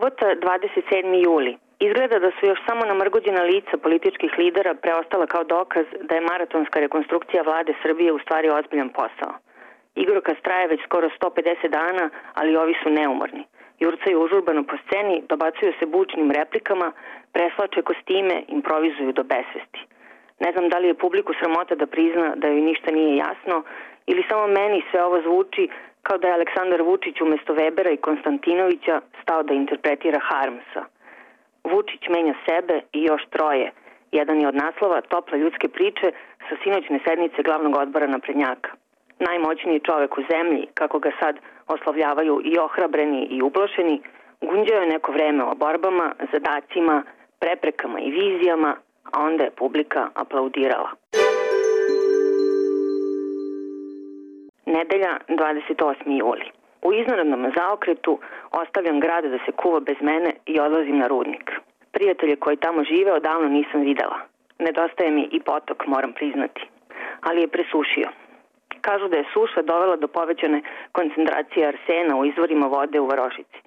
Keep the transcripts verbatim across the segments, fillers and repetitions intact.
Subota, dvadeset sedmi juli. Izgleda da su još samo namrgođena lica političkih lidera preostala kao dokaz da je maratonska rekonstrukcija vlade Srbije u stvari ozbiljan posao. Igrokaz traje već skoro sto pedeset dana, ali ovi su neumorni. Jurcaju užurbano po sceni, dobacuju se bučnim replikama, preslače kostime, improvizuju do besvesti. Ne znam da li je publiku sramota da prizna da joj ništa nije jasno ili samo meni sve ovo zvuči kao da je Aleksandar Vučić umesto Webera i Konstantinovića stao da interpretira Harmsa. Vučić menja sebe i još troje. Jedan je od naslova Tople ljudske priče sa sinoćne sednice glavnog odbora naprednjaka. Najmoćniji čovek u zemlji, kako ga sad oslavljavaju i ohrabreni i ublašeni, gunđao je neko vreme o borbama, zadacima, preprekama i vizijama, a onda je publika aplaudirala. Nedelja, dvadeset osmi juli. U iznenadnom zaokretu ostavljam grad da se kuva bez mene i odlazim na rudnik. Prijatelje koji tamo žive odavno nisam videla. Nedostaje mi i potok, moram priznati. Ali je presušio. Kažu da je suša dovela do povećane koncentracije arsena u izvorima vode u varošici.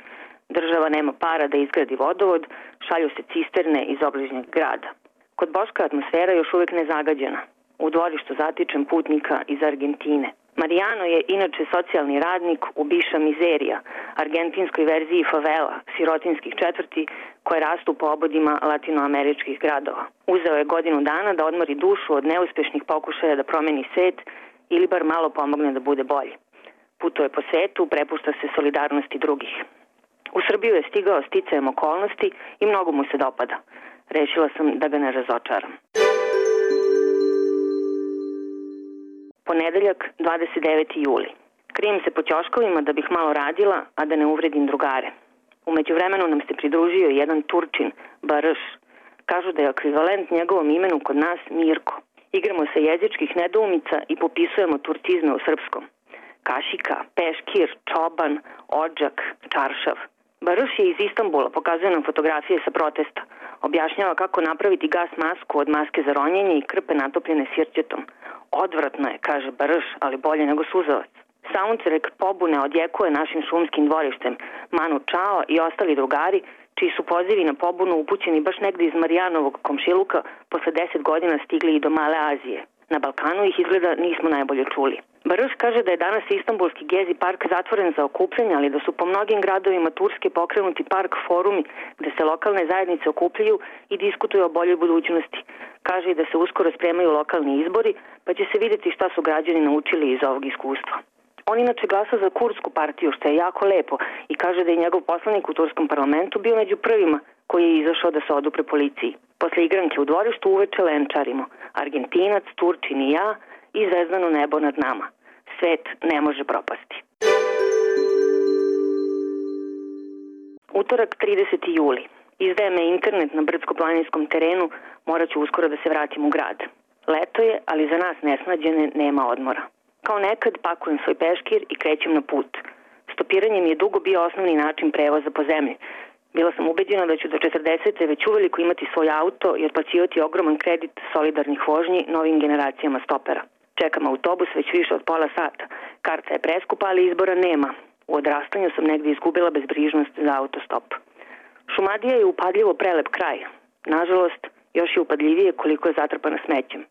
Država nema para da izgradi vodovod, šalju se cisterne iz obližnjeg grada. Kod Boška atmosfera još uvek nezagađena. U dvorištu zatičem putnika iz Argentine. Marijano je inače socijalni radnik u Biša Mizerija, argentinskoj verziji favela, sirotinskih četvrti koje rastu po obodima latinoameričkih gradova. Uzeo je godinu dana da odmori dušu od neuspešnih pokušaja da promeni svet ili bar malo pomogne da bude bolji. Putuje po svetu, prepušta se solidarnosti drugih. U Srbiju je stigao sticajem okolnosti i mnogo mu se dopada. Rešila sam da ga ne razočaram. Ponedeljak, dvadeset deveti juli. Krijem se po ćoškovima da bih malo radila, a da ne uvredim drugare. U međuvremenu nam se pridružio jedan Turčin, Barš. Kažu da je ekvivalent njegovom imenu kod nas Mirko. Igramo se jezičkih nedoumica i popisujemo turcizme u srpskom. Kašika, peškir, čoban, odžak, čaršav. Barš je iz Istanbula, pokazuje nam fotografije sa protesta. Objašnjava kako napraviti gas masku od maske za ronjenje i krpe natopljene sirćetom. Odvratno je, kaže Barš, ali bolje nego suzavac. Soundtrack pobune odjekuje našim šumskim dvorištem. Manu Čao i ostali drugari, čiji su pozivi na pobunu upućeni baš negde iz Marijanovog komšiluka, posle deset godina stigli i do Male Azije. Na Balkanu ih izgleda nismo najbolje čuli. Barš kaže da je danas Istanbulski Gezi park zatvoren za okupljanje, ali da su po mnogim gradovima Turske pokrenuti park forumi gde se lokalne zajednice okupljaju i diskutuju o boljoj budućnosti. Kaže i da se uskoro spremaju lokalni izbori, pa će se vidjeti šta su građani naučili iz ovog iskustva. On inače glasa za kurdsku partiju, što je jako lepo, i kaže da je njegov poslanik u turskom parlamentu bio među prvima koji je izašao da se odupre policiji. Posle igranke u dvorištu uveče lenčarimo. Argentinac, Turčin i ja i zvezdano nebo nad nama. Svet ne može propasti. Utorak, trideseti juli. Izdaje me internet na brdsko-planinskom terenu, morat ću uskoro da se vratim u grad. Leto je, ali za nas nesnađene nema odmora. Kao nekad pakujem svoj peškir i krećem na put. Stopiranje mi je dugo bio osnovni način prevoza po zemlji. Bila sam ubeđena da ću do četrdesete već uveliko imati svoj auto i otplaćivati ogroman kredit solidarnih vožnji novim generacijama stopera. Čekam autobus već više od pola sata. Karta je preskupa, ali izbora nema. U odrastanju sam negdje izgubila bezbrižnost za autostop. Šumadija je upadljivo prelep kraj. Nažalost, još je upadljivije koliko je zatrpana smećem.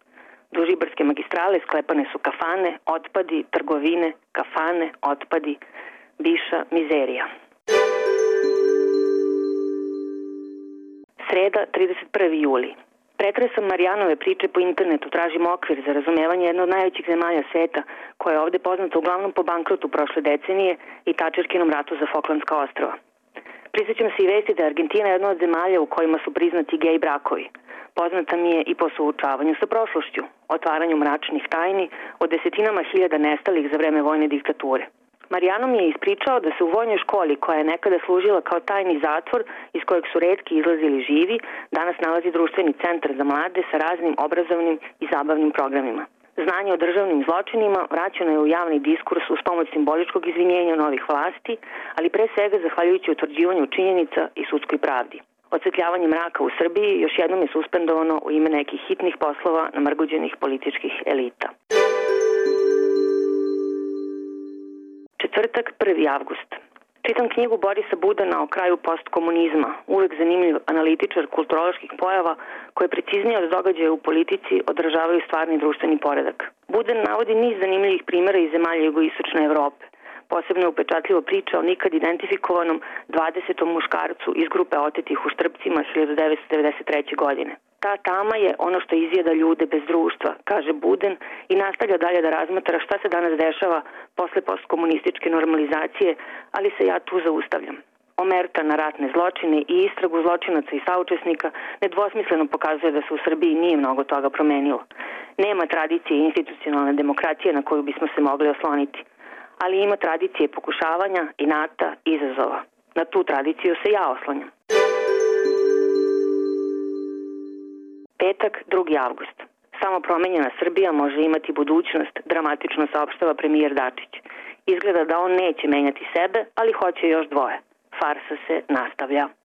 Duž Ibarske magistrale sklepane su kafane, otpadi, trgovine, kafane, otpadi, Biša Mizerija. Sreda, trideset prvi juli. Pretresam Marijanove priče po internetu, tražim okvir za razumevanje jedne od najvećih zemalja sveta, koja je ovde poznata uglavnom po bankrotu prošle decenije i Tačerkinom ratu za Foklandska ostrva. Prisjećam se i vesti da je Argentina jedna od zemalja u kojima su priznati gej brakovi. Poznata mi je i po suočavanju sa prošlošću, otvaranju mračnih tajni, o desetinama hiljada nestalih za vreme vojne diktature. Marijano mi je ispričao da se u vojnoj školi, koja je nekada služila kao tajni zatvor iz kojeg su retki izlazili živi, danas nalazi društveni centar za mlade sa raznim obrazovnim i zabavnim programima. Znanje o državnim zločinima vraćeno je u javni diskurs uz pomoć simboličkog izvinjenja novih vlasti, ali pre svega zahvaljujući utvrđivanju činjenica i sudskoj pravdi. Odsvetljavanje mraka u Srbiji još jednom je suspendovano u ime nekih hitnih poslova namrgođenih političkih elita. Četvrtak, prvi avgust. Čitam knjigu Borisa Budana o kraju postkomunizma, uvek zanimljiv analitičar kulturoloških pojava koje preciznije od događaja u politici odražavaju stvarni društveni poredak. Budan navodi niz zanimljivih primjera iz zemalja jugoistočne Evrope. Posebno je upečatljivo priča o nikad identifikovanom dvadesetom muškarcu iz grupe otetih u Štrpcima hiljadu devetsto devedeset treće. godine. Ta tama je ono što izjeda ljude bez društva, kaže Buden i nastavlja dalje da razmatra šta se danas dešava posle postkomunističke normalizacije, ali se ja tu zaustavljam. Omerta na ratne zločine i istragu zločinaca i saučesnika nedvosmisleno pokazuje da se u Srbiji nije mnogo toga promenilo. Nema tradicije institucionalne demokratije na koju bismo se mogli osloniti, ali ima tradicije pokušavanja, inata, izazova. Na tu tradiciju se ja oslanjam. Petak, drugi avgust. Samo promenjena Srbija može imati budućnost, dramatično saopštava premijer Dačić. Izgleda da on neće menjati sebe, ali hoće još dvoje. Farsa se nastavlja.